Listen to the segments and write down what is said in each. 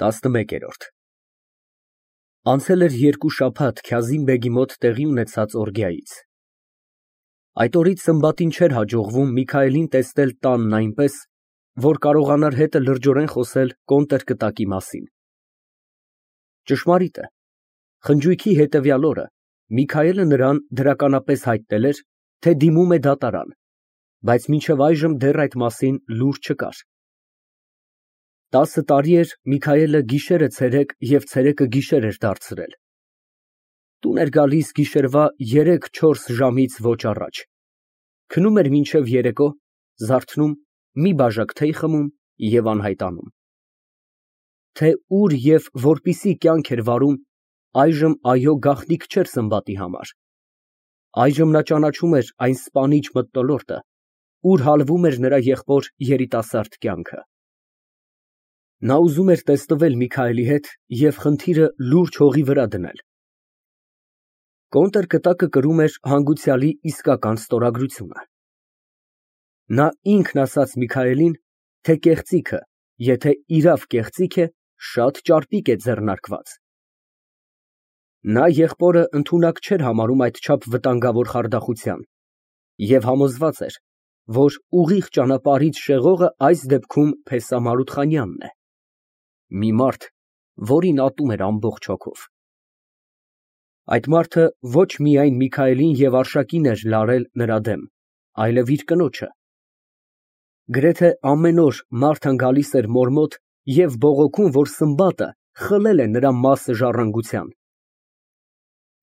11։ Անցել էր 2 շաբաթ Քազիմ֊բեգի մոտ տեղի ունեցած օրգիայից։ Այդ օրից Սմբատին չէր հաջողվում Միքայելին տեսնել տանն այնպես, որ կարողանար հետը լրջորեն խոսել կոնտրկտակի մասին։ Ճշմարիտ է, խնջույքի հետևյալ օրը Միքայելը նրան դրականապես հայտնել էր, թե դիմում է դատարան, բայց մինչև այժմ դեռ այդ մասին լուր չկար։ 10 տարի էր Միքայելը գիշերը ցերեկ և ցերեկը գիշեր էր դարձրել։ Տուն էր գալիս գիշերվա 3-4 ժամից ոչ առաջ, քնում էր մինչև երեկո, զարթնում, մի բաժակ թեյ խմում և անհայտանում։ Թե ուր և որպիսի կյանք էր վարում, այժմ այո գաղտնիք չէր Սմբատի համար։ Այժմ նա ճանաչում էր այն սպանիչ մթնոլորտը, ուր հալվում էր նրա եղբոր երիտասարդ կյանքը։ Նա ուզում էր տեսնվել Միքայելի հետ և խնդիրը լուրջ հողի վրա դնել։ Կոնտրկտակը կրում էր հանգուցյալի իսկական ստորագրությունը։ Նա ինքն ասաց Միքայելին, թե կեղծիքը, եթե իրավ կեղծիք է, շատ ճարպիկ է ձեռնարկված։ Նա եղբորը ընդունակ չէր համարում այդչափ վտանգավոր խարդախության և համոզված էր, որ ուղիղ ճանապարհից շեղողը այս դեպքում Փեսա Մարութխանյանն է, մի մարդ, որին ատում էր ամբողջ հոգով։ Այդ մարդը ոչ միայն Միքայելին և Արշակին էր լարել նրա դեմ, այլև իր կնոջը։ Գրեթե ամեն օր Մարթան գալիս էր մոր մոտ և բողոքում, որ Սմբատը խլել է նրա մասը ժառանգության։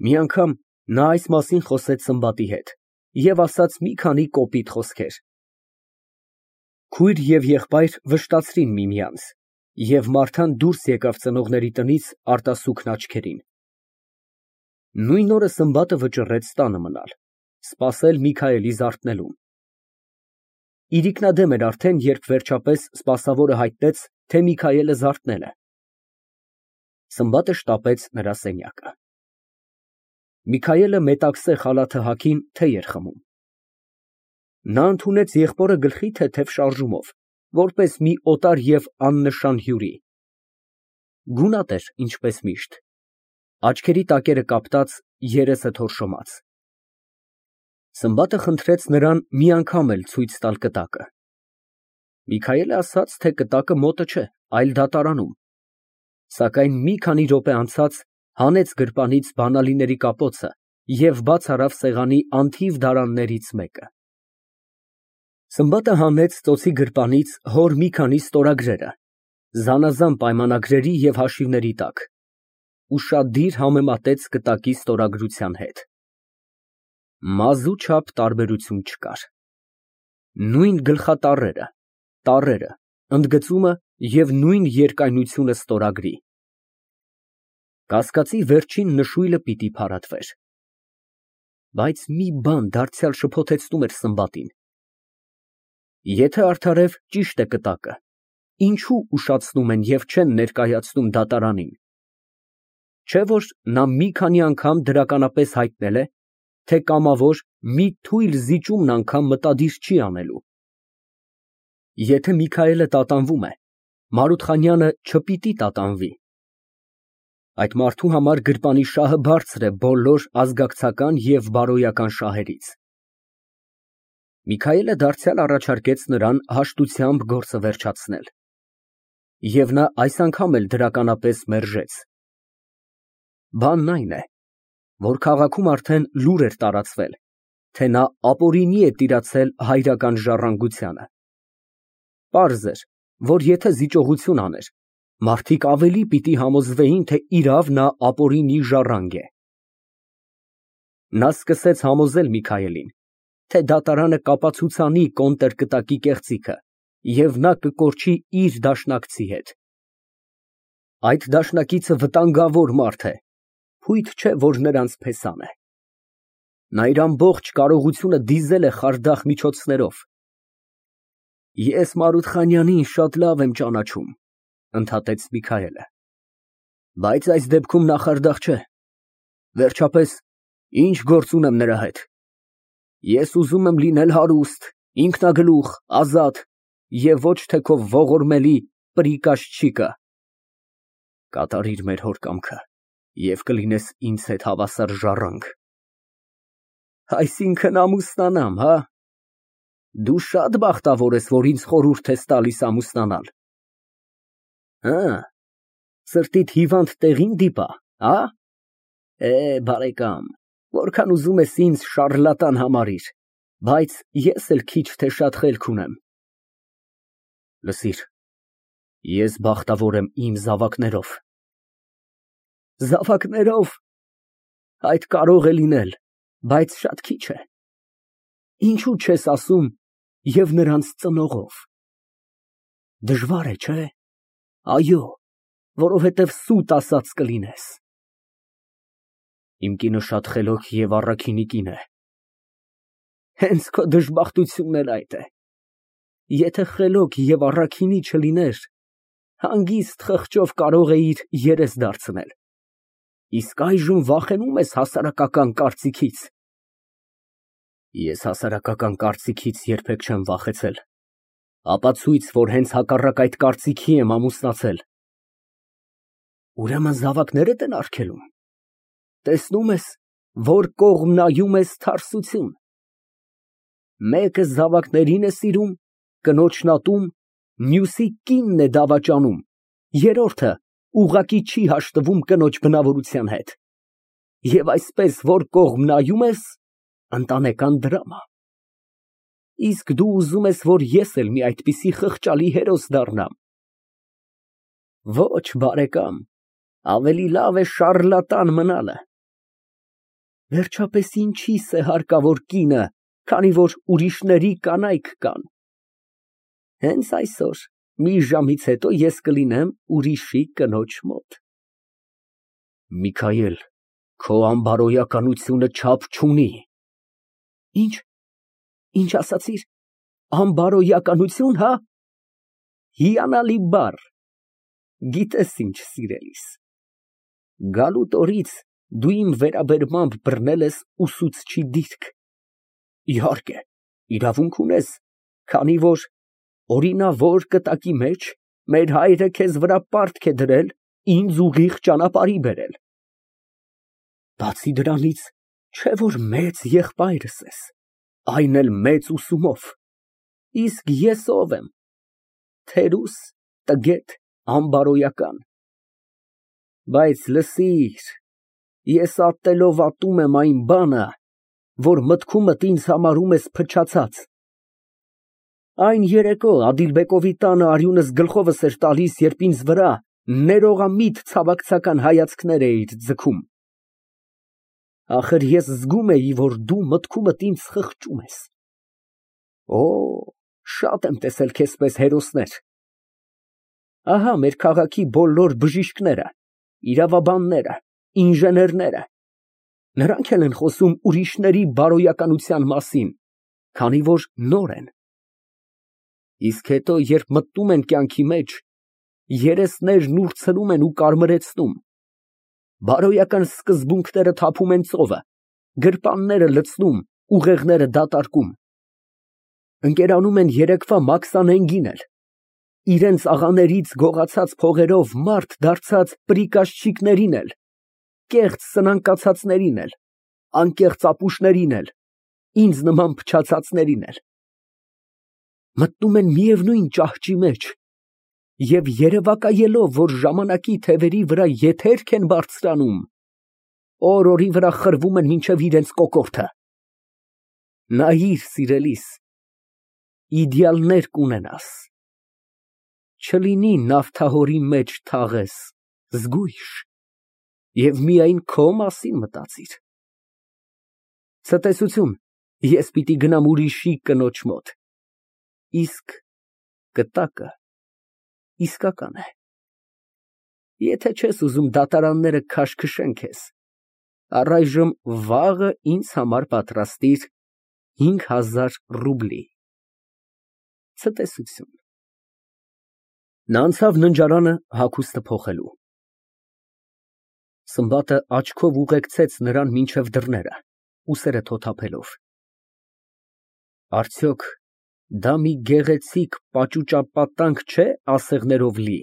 Մի անգամ նա այս մասին խոսեց Սմբատի հետ և ասաց մի քանի կոպիտ խոսքեր։ Քույր և եղբայր վշտացրին միմյանց, և Մարթան դուրս եկավ ծնողների տնից արտասուքն աչքերին։ Նույն օրը Սմբատը վճռեց տանը մնալ, սպասել Միքայելի զարթնելուն։ Իրիկնադեմ էր արդեն, երբ վերջապես սպասավորը հայտնեց, թե Միքայելը զարթնել է։ Սմբատը շտապեց նրա սենյակը։ Միքայելը մետաքսե խալաթը հագին թեյ էր խմում։ Նա ընդունեց եղբորը գլխի թեթև շարժումով, որպես մի օտար և աննշան հյուրի։ Գունատ էր, ինչպես միշտ, աչքերի տակերը կապտած, երեսը թորշոմած։ Սմբատը խնդրեց նրան մի անգամ էլ ցույց տալ կտակը։ Միքայելը ասաց, թե կտակը մոտը չէ, այլ դատարանում, սակայն մի քանի րոպե անցած հանեց գրպանից բանալիների կապոցը և բաց արավ սեղանի անթիվ դարաններից մեկը։ Սմբատը հանեց ծոցի գրպանից հոր մի քանի ստորագրերը, զանազան պայմանագրերի և հաշիվների տակ, ուշադիր համեմատեց կտակի ստորագրության հետ։ Մազու չափ տարբերություն չկար։ Նույն գլխատառերը, տառերը, ընդգծումը և նույն երկայնությունը ստորագրի։ Կասկածի վերջին նշույլը պիտի փարատվեր։ Բայց մի բան դարձյալ շփոթեցնում էր Սմբատին։ Եթե արդարև ճիշտ է կտակը, ինչու ուշացնում են և չեն ներկայացնում դատարանին։ Չէ՞ որ նա մի քանի անգամ դրականապես հայտնել է, թե կամավոր մի թույլ զիջումն անգամ մտադիր չի անելու։ Եթե Միքայելը տատանվում է, Մարութխանյանը չպիտի տատանվի։ Այդ մարդու համար գրպանի շահը բարձր է բոլոր ազգակցական և բարոյական շահերից։ Միքայելը դարձյալ առաջարկեց նրան հաշտությամբ գործը վերջացնել։ Եվ նա այս անգամ էլ դրականապես մերժեց։ Բանն այն է, որ քաղաքում արդեն լուր էր տարածվել, թե նա ապօրինի է տիրացել հայրական ժառանգությանը։ Պարզ էր, որ եթե զիջողություն աներ, մարդիկ ավելի պիտի համոզվեին, թե իրավ նա ապօրինի ժառանգ է։ Նա սկսեց համոզել Միքայելին, թե դատարանը կապացուցանի կոնտրկտակի կեղծիքը, և նա կկորչի իր դաշնակցի հետ։ Այդ դաշնակիցը վտանգավոր մարդ է, փույթ չէ, որ նրանց Փեսան է։ Նա իր ամբողջ կարողությունը դիզել է խարդախ միջոցներով։ Ես Մարութխանյանին շատ լավ եմ ճանաչում, ընդհատեց Միքայելը, բայց այս դեպքում նա խարդախ չէ։ Վերջապես, ինչ գործ ունեմ նրա հետ։ Ես ուզում եմ լինել հարուստ, ինքնագլուխ, ազատ և ոչ թե քո ողորմելի պրիկաշչիկը։ Կատարիր մեր հոր կամքը և կլինես ինձ հետ հավասար ժառանգ։ Այսինքն ամուսնանամ, հա։ Դու շատ բախտավոր ես, որ ինձ խորհուրդ ես տալիս ամուսնանալ։ Հը, սրտիդ հիվանդ տեղին դիպա, հա։ Բարեկամ, որքան ուզում ես ինձ շառլատան համարիր, բայց ես էլ քիչ թե շատ խելք ունեմ։ Լսիր, ես բախտավոր եմ իմ զավակներով։ Զավակներով։ Այդ կարող է լինել, բայց շատ քիչ է։ Ինչու չես ասում և նրանց ծնողով։ Դժվար է, չէ։ Այո, որովհետև սուտ ասած կլինես։ Իմ կինը շատ խելոք և առաքինի կին է։ Հենց քո դժբախտությունն էլ այդ է։ Եթե խելոք և առաքինի չլիներ, հանգիստ խղճով կարող էիր երես դարձնել։ Իսկ այժմ վախենում ես հասարակական կարծիքից։ Ես հասարակական կարծիքից երբեք չեմ վախեցել։ Ապացույց, որ հենց հակառակ այդ կարծիքի եմ ամուսնացել։ Ուրեմն զավակներդ են արգելում։ Տեսնում ես, որ կողմ նայում ես թարսություն։ Մեկը զավակներին է սիրում, կնոջն ատում, մյուսի կինն է դավաճանում, երրորդը ուղղակի չի հաշտվում կնոջ բնավորության հետ։ Եվ այսպես, որ կողմ նայում ես, ընտանեկան դրամա։ Իսկ դու ուզում ես, որ ես էլ մի այդպիսի խղճալի հերոս դառնամ։ Ոչ, բարեկամ, ավելի լավ է շառլատան մնալը։ Վերջապես ինչի՞ս է հարկավոր կինը, քանի որ ուրիշների կանայք կան։ Հենց այսօր, մի ժամից հետո ես կլինեմ ուրիշի կնոջ մոտ։ Միքայել, քո անբարոյականությունը չափ չունի։ Ինչ ասացիր, անբարոյականություն, հա։ Հիանալի բառ։ Գիտես ինչ, սիրելիս, գալուտ օրից դու իմ վերաբերմամբ բռնել ես ուսուցչի դիրք։ Իհարկե, իրավունք ունես, քանի որ օրինավոր կտակի մեջ մեր հայրը քեզ վրա պարտք է դրել ինձ ուղիղ ճանապարհի բերել։ Բացի դրանից, չէ որ մեծ եղբայրս ես, այն էլ մեծ ուսումով։ Իսկ ես ով եմ։ Թերուս, տգետ, անբարոյական։ Բայց լսիր, ես ատելով ատում եմ այն բանը, որ մտքումդ ինձ համարում ես փչացած։ Այն երեկո Ադիլբեկովի տանը արյունս գլխովս էր տալիս, երբ ինձ վրա ներողամիտ ցավակցական հայացքներ էիր ձգում։ Ախր ես զգում էի, որ դու մտքումդ ինձ խղճում ես։ Օ, շատ եմ տեսել քեզպես հերոսներ։ Ահա մեր քաղաքի բոլոր բժիշկները, իրավաբանները, ինժեներները, նրանք էլ են խոսում ուրիշների բարոյականության մասին, քանի որ նոր են։ Իսկ հետո, երբ մտնում են կյանքի մեջ, երեսներն ուրցնում են ու կարմրեցնում, բարոյական սկզբունքները թափում են ծովը, գրպանները լցնում, ուղեղները դատարկում, ընկերանում են երեկվա մաքսանենգին էլ, իրենց աղաներից գողացած փողերով մարդ դարձած պրիկաշչիկներին էլ, կեղծ սնանկացածներին էլ, անկեղծ ապուշներին էլ, ինձ նման փչացածներին էլ, մտնում են միևնույն ճահճի մեջ և երևակայելով, որ ժամանակի թևերի վրա եթերք են բարձրանում, օր֊օրի վրա խրվում են մինչև իրենց կոկորդը։ Նայիր, սիրելիս, իդեալներ կունենաս, չլինի նավթահորի մեջ թաղես, զգույշ, և միայն քո մասին մտածիր։ Ցտեսություն, ես պիտի գնամ ուրիշի կնոջ մոտ, իսկ կտակը իսկական է։ Եթե չես ուզում դատարանները քաշքշեն քեզ, առայժմ վաղը ինձ համար պատրաստիր 5000 ռուբլի։ Ցտեսություն։ Նա անցավ ննջարանը հագուստը փոխելու։ Սմբատը աչքով ուղեկցեց նրան մինչև դռները, ուսերը թոթափելով։ Արդյոք դա մի գեղեցիկ պաճուճապատանք չէ ասեղներով լի։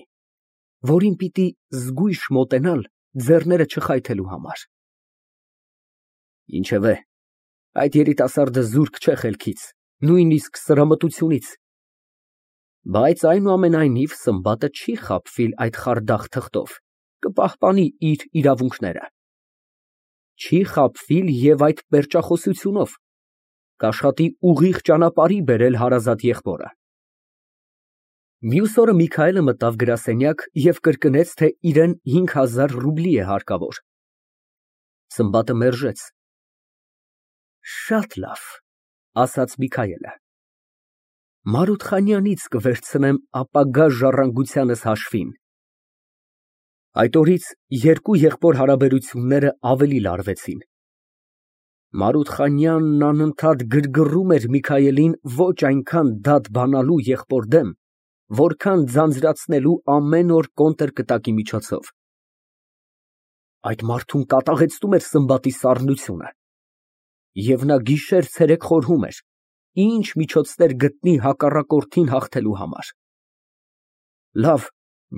որին պիտի զգույշ մոտենալ ձեռները չխայթելու համար։ Ինչևէ, այդ երիտասարդը զուրկ չէ խելքից, նույնիսկ սրամտությունից, բայց այնուամենայնիվ Սմբատը չի խաբվիլ այդ խարդախ թղթով, կպահպանի իր իրավունքները, չի խաբվիլ և այդ պերճախոսությունով, կաշխատի ուղիղ ճանապարհի բերել հարազատ եղբորը։ Մյուս օրը Միքայելը մտավ գրասենյակ և կրկնեց, թե իրան 5000 ռուբլի է հարկավոր։ Սմբատը մերժեց։ Շատ լավ, ասաց Միքայելը, Մարութխանյանից կվերցնեմ ապագա ժառանգությանս հաշվին։ Այդ օրից երկու եղբոր հարաբերությունները ավելի լարվեցին։ Մարութխանյանն անընդհատ գրգռում էր Միքայելին ոչ այնքան դատ բանալու եղբոր դեմ, որքան ձանձրացնելու ամեն օր կոնտրկտակի միջոցով։ Այդ մարդուն կատաղեցնում էր Սմբատի սառնությունը, և նա գիշեր֊ցերեկ խորհում էր, ինչ միջոցներ գտնի հակառակորդին հաղթելու համար։ Լավ,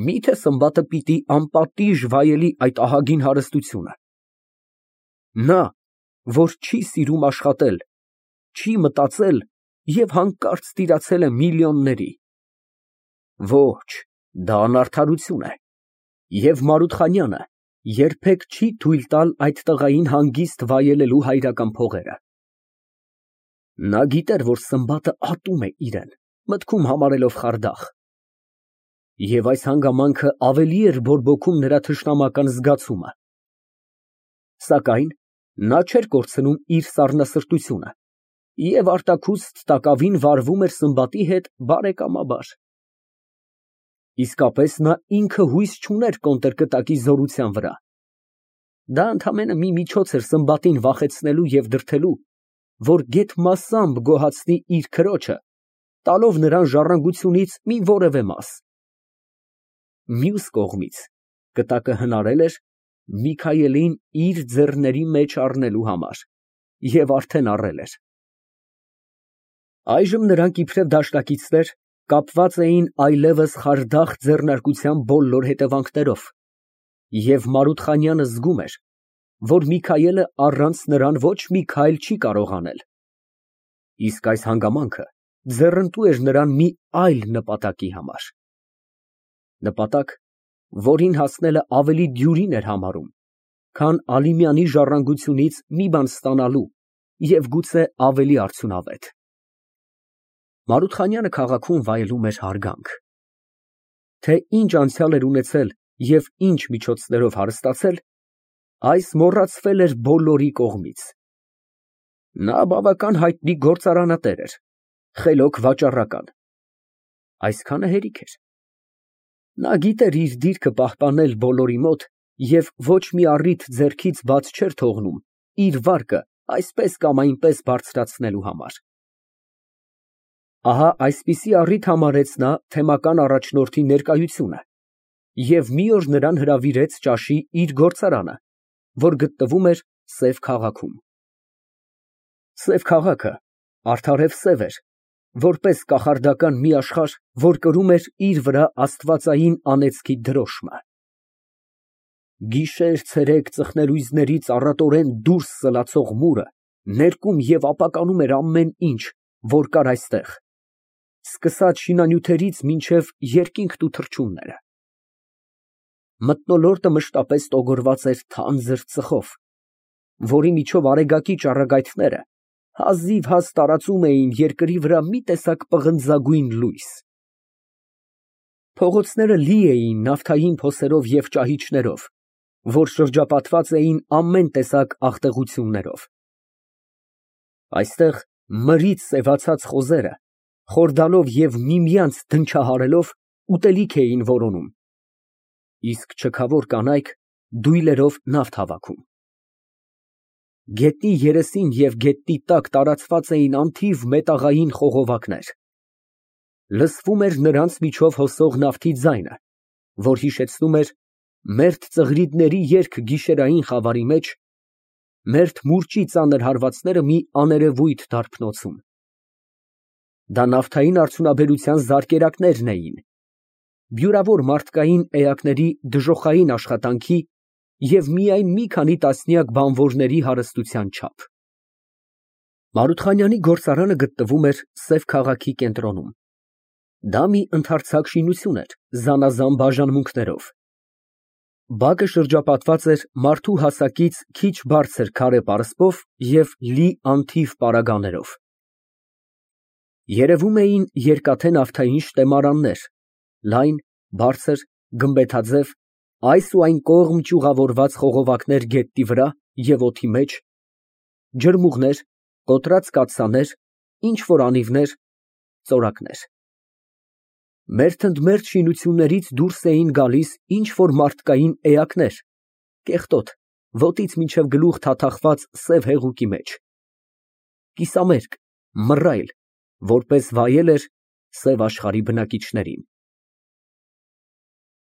մի՞թե Սմբատը պիտի անպատիժ վայելի այդ ահագին հարստությունը։ Նա, որ չի սիրում աշխատել, չի մտածել և հանկարծ տիրացել է միլիոնների։ Ոչ, դա անարդարություն է, և Մարութխանյանը երբեք չի թույլ տալ այդ տղային հանգիստ վայելելու հայրական փողերը։ Նա գիտեր, որ Սմբատը ատում է իրան, մտքում համարելով խարդախ, և այս հանգամանքը ավելի էր բորբոքում նրա թշնամական զգացումը։ Սակայն նա չէր կորցնում իր սառնասրտությունը և արտաքուստ տակավին վարվում էր Սմբատի հետ բարեկամաբար։ Իսկապես նա ինքը հույս չուներ կոնտրկտակի զորության վրա։ Դա ընդամենը մի միջոց էր Սմբատին վախեցնելու և դրդելու, որ գեթ մասամբ գոհացնի իր քրոջը, տալով նրան ժառանգությունից մի որևէ մաս։ Մյուս կողմից, կտակը հնարել էր Միքայելին իր ձեռների մեջ առնելու համար և արդեն առել էր։ Այժմ նրանք իբրև դաշնակիցներ կապված էին այլևս խարդախ ձեռնարկության բոլոր հետևանքներով, և Մարութխանյանը զգում էր, որ Միքայելը առանց նրան ոչ մի քայլ չի կարող անել, իսկ այս հանգամանքը ձեռնտու էր նրան մի այլ նպատակի համար, նպատակ, որին հասնելը ավելի դյուրին էր համարում, քան Ալիմյանի ժառանգությունից մի բան ստանալու և գուցե ավելի արդյունավետ։ Մարութխանյանը քաղաքում վայելում էր հարգանք։ Թե ինչ անցյալ էր ունեցել և ինչ միջոցներով հարստացել, այս մոռացվել էր բոլորի կողմից։ Նա բավական հայտնի գործարանատեր էր, խելոք վաճառական։ Այսքանը հերիք էր։ Նա գիտեր իր դիրքը պահպանել բոլորի մոտ և ոչ մի առիթ ձեռքից բաց չէր թողնում իր վարկը այսպես կամ այնպես բարձրացնելու համար։ Ահա այսպիսի առիթ համարեց նա թեմական առաջնորդի ներկայությունը և մի օր նրան հրավիրեց ճաշի իր գործարանը, որ գտնվում էր Սև քաղաքում։ Սև քաղաքը արդարև սև էր, որպես կախարդական մի աշխարհ, որ կրում էր իր վրա աստվածային անեծքի դրոշմը։ Գիշեր֊ցերեկ ծխնելույզներից առատորեն դուրս սլացող մուրը ներկում և ապականում էր ամեն ինչ, որ կար այստեղ, սկսած շինանյութերից մինչև երկինքն ու թռչունները։ Մթնոլորտը մշտապես տոգորված էր թանձր ծխով, որի միջով արեգակի ճառագայթները հազիվ տարածում էին երկրի վրա մի տեսակ պղնձագույն լույս։ Փողոցները լի էին նավթային փոսերով և ճահիճներով, որ շրջապատված էին ամեն տեսակ աղտեղություններով։ Այստեղ մրից սևացած խոզերը, խորդալով և միմյանց դնչահարելով, ուտելիք էին որոնում, իսկ չքավոր կանայք դույլերով նավթ հավաքում։ Գետնի երեսին և գետնի տակ տարածված էին անթիվ մետաղային խողովակներ։ Լսվում էր նրանց միջով հոսող նավթի ձայնը, որ հիշեցնում էր մերթ ծղրիդների երգ գիշերային խավարի մեջ, մերթ մուրճի ծանր հարվածները մի աներևույթ դարբնոցում։ Դա նավթային արդյունաբերության զարկերակներն էին, բյուրավոր մարդկային էակների դժոխային աշխատանքի և միայն մի քանի տասնյակ բանվորների հարստության չափ։ Մարութխանյանի գործարանը գտնվում էր Սև քաղաքի կենտրոնում։ Դա մի ընդարձակ շինություն էր զանազան բաժանմունքներով։ Բակը շրջապատված էր մարդու հասակից քիչ բարձր քարե պարսպով և լի անթիվ պարագաներով։ Երևում էին երկաթե նավթային շտեմարաններ, լայն, բարձր, գմբեթաձև, այս ու այն կողմ ճյուղավորված խողովակներ գետնի վրա և օդի մեջ, ջրմուղներ, կոտրած կաթսաներ, ինչ֊որ անիվներ, ծորակներ։ Մերթընդմերթ շինություններից դուրս էին գալիս ինչ֊որ մարդկային էակներ, կեղտոտ, ոտից մինչև գլուխ թաթախված սև հեղուկի մեջ, կիսամերկ, մռայլ, որպես վայել էր սև աշխարհի բնակիչներին։